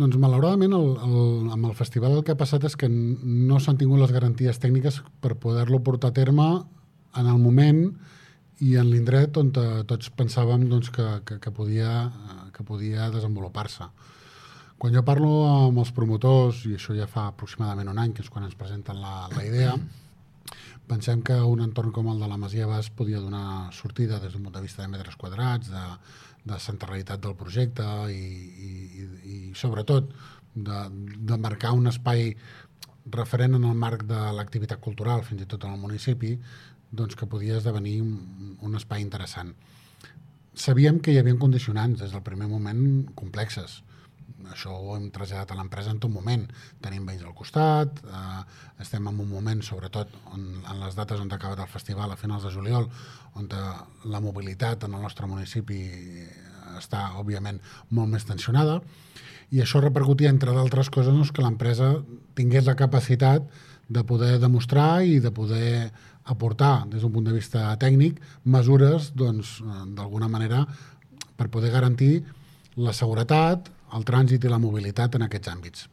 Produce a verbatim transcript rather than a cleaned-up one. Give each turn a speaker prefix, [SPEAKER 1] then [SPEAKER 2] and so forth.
[SPEAKER 1] Doncs malauradament el, el, amb el festival el que ha passat és que no s'han tingut les garanties tècniques per poder-lo portar a terme en el moment i en l'indret on tots pensàvem doncs, que, que, que, podia, que podia desenvolupar-se. Quan jo parlo amb els promotors, i això ja fa aproximadament un any, que és quan ens presenten la, la idea, pensem que un entorn com el de la Masia Bas podia donar sortida des d'un punt de vista de metres quadrats, de, de centralitat del projecte i, i, i sobretot de, de marcar un espai referent en el marc de l'activitat cultural, fins i tot en el municipi, doncs que podia esdevenir un, un espai interessant. Sabíem que hi havia condicionants des del primer moment complexes. Això ho hem traslladat a l'empresa en tot moment. Tenim veïns al costat, eh, estem en un moment, sobretot on, en les dates on ha acabat el festival, a finals de juliol, on la mobilitat en el nostre municipi està, òbviament, molt més tensionada, i això repercutia, entre d'altres coses, doncs, que l'empresa tingués la capacitat de poder demostrar i de poder aportar, des d'un punt de vista tècnic, mesures, doncs, d'alguna manera, per poder garantir la seguretat, el trànsit i la mobilitat en aquests àmbits.